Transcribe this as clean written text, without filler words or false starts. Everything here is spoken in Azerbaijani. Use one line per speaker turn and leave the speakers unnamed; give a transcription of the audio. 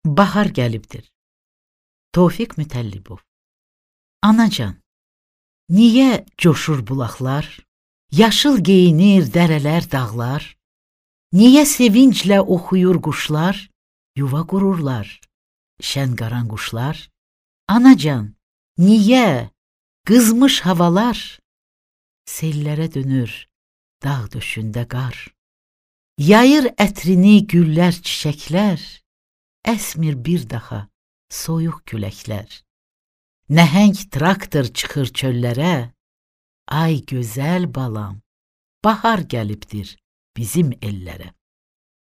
Bahar gəlibdir. Tofiq Mütəllibov. Anacan, niyə coşur bulaqlar? Yaşıl geyinir dərələr, dağlar? Niyə sevinclə oxuyur quşlar? Yuva qururlar, şən qaran quşlar? Anacan, niyə qızmış havalar? Sellərə dönür dağ döşündə qar. Yayır ətrini güllər, çiçəklər, əsmir bir daha soyuq küləklər. Nəhəng traktor çıxır çöllərə, ay gözəl balam, bahar gəlibdir bizim ellərə.